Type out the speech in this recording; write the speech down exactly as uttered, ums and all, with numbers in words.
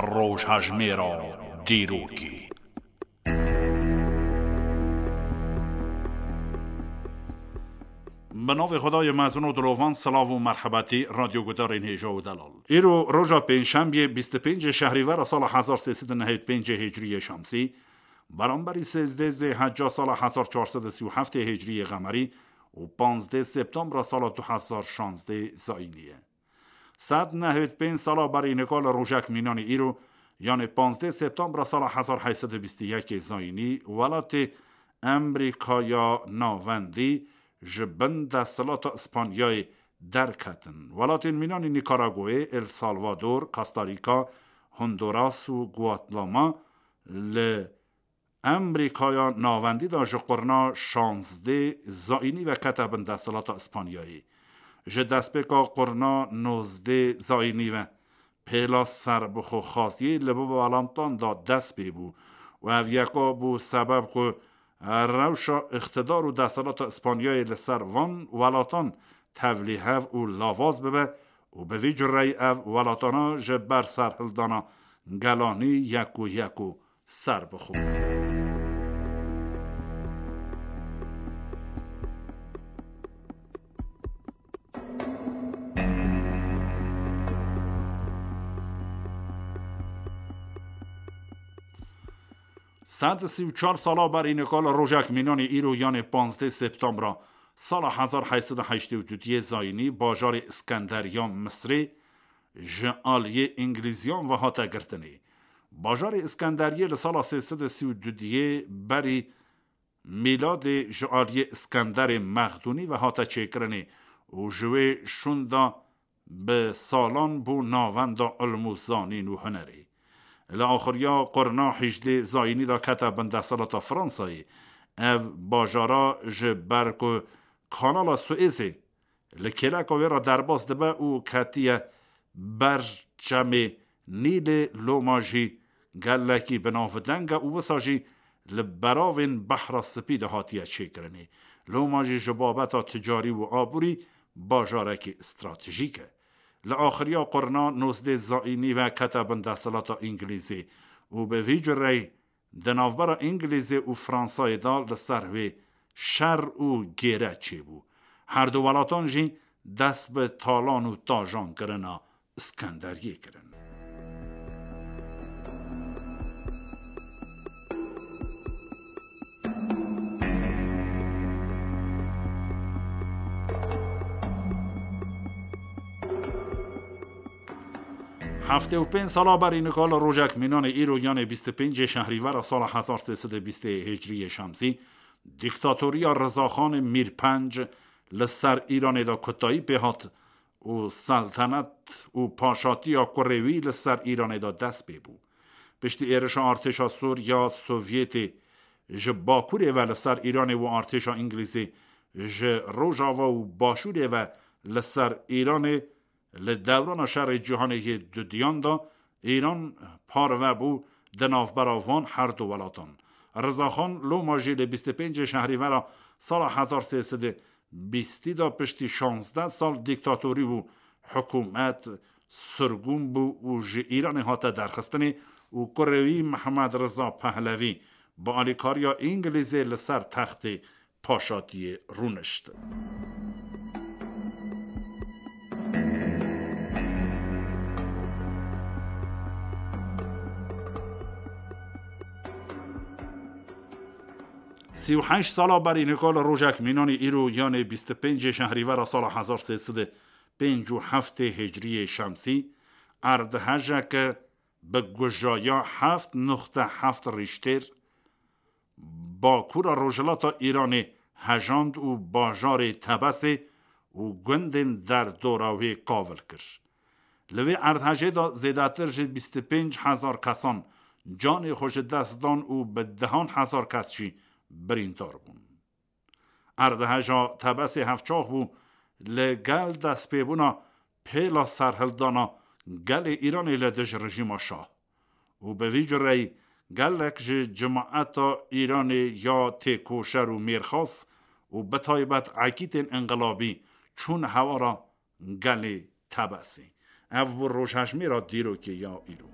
Rojhejmêra dîrokê. Bi navê Xwedayê mezin û dilovan, silav û merhebetî radyogudarên hêja û delal. Îro roja pêncşembiyê, bîst û pêncê şehrîvera sala hezar sê sed û nehê û pêncê hicriyê şemsî, beramberî sêzdê zêhecca sala hezar çar sed û sî û heftê hicriyê qemerî û panzdê septembra sala du hezar şanzdê zayînî ye. Sed nehêd pênc sala berî nika li rojek mînanî îro, yanê panzdeh septembra sala hezar heyt sed û bîst û yekê zayînî, welatê Emrîkaya Navendî ji bin desthilata Îspanyayê derketin. Welatên mînanî Nîkaragoyê, El Salvador, Costa Rica, Honduras û Guatemala li Emrîkaya Navendî de ji qurna şazdê zayînî ve kete bin desthilata Îspanyayê. Ji destpêka qurna nozdê zayînî ve pêla serbixwexaziyê li bo welatan de dest pê bû û ev yeka bû sebeb ku rewşa îqtidar û desthilata Îspanyayê li ser van welatan tevlîhev û lawaz bibe û bi vî cureyî ev welatana ji ber serhildana gelanî yek û yek û ser bixwe. Sed û sî û çar sala berî nika li rojek mînanî îro, yanê panzdeh septembra sala hezar heyt sed û heştê û duyê zayînî, bajarê Îskenderiya Misrê ji aliyê Îngilîziyan ve hate girtinê. Bajarê Îskenderiyê li sala sê sed û sî û duyê berî mîladê ji aliyê Îskenderê Mexdûnî ve hate çêkirinê û ji wê şûnda bi salan bû navenda ilm û zanîn û hunerê. Li axiriya qurna hîjdê zayînî de kete bin desthilata Fransayê. Ev bajara ji ber ku Kanala Suêzê li kêleka wê re derbas dibe û ketiye ber çemê Nîlê, loma jî gelekî bi navdeng e û wisa jî li beravên Behra Spî de hatiye çêkirinê. Loma jî ji babeta ticarî û aborî bajarekî stratejîk e. Li axiriya qurna nozdê zayînî ve kete bin desthilata Îngilîzê û bi vî cureyî di navbera Îngilîzê û Fransayê de li ser wê şer û gêre çêbû. Her du welatan jî dest bi talan û tajan kirina Îskenderiyê kirin. Heftê û pênc sala berî nika li rojek mînanê îro, yanê bîst û pêncê şehrîvera sala hezar sê sed û bîstê hicriyê şemsî, dîktatoriya Rizaxanê Mîr Penc li ser Îranê de kutayî pê hat û seltenet û paşatiya kurê wî li ser Îranê de dest pê bû. Piştî êrişa artêşa sor ya Sovyetê ji bakurê ve li ser Îranê û artêşa Îngilîzê ji rojava û başûrê ve li ser Îranê, li dewrana şerê cîhanê yê dudiyan de Îran parve bû di navbera van her du welatan. Rizaxan loma jî li bîst û pêncê şehrîvera sala hezar sê sed û bîstî de piştî şazdeh sal dîktatorî û hikûmet sirgûn bû û ji Îranê hate derxistinê û kurê wî Mehmed Riza Pehlevî bi alîkariya Îngilîzê li ser textê paşatiyê rûnişt. Sî û heşt sala berî nika li rojek mînanî îro, yanê bîst û pêncê şehrîvera sala hezar sê sed û pênc û heftê hicriyê şemsî, erdhejeke bi gujaya heft nuqte heft Rîştêr bakura rojhilata Îranê hejand û bajarê Tebesê û gundên derdora wê kavil kir. Li vê erdhejê de zêdetir ji bîst û pênc hezar kesan canê xwe ji dest dan û bi dehan hezar kes jî birîndar bûn. Erdheja Tebesê hevçax bû li gel destpêbûna pêla serhildana gelê Îranê li dij rejîma şah û bi vî cureyî gelek ji cimaeta Îranê ya têkoşer û mêrxas û bi taybet ekîtên înqilabî çûn hewara gelê Tebesê. Ev bû rojhejmêra dîrokê ya îro.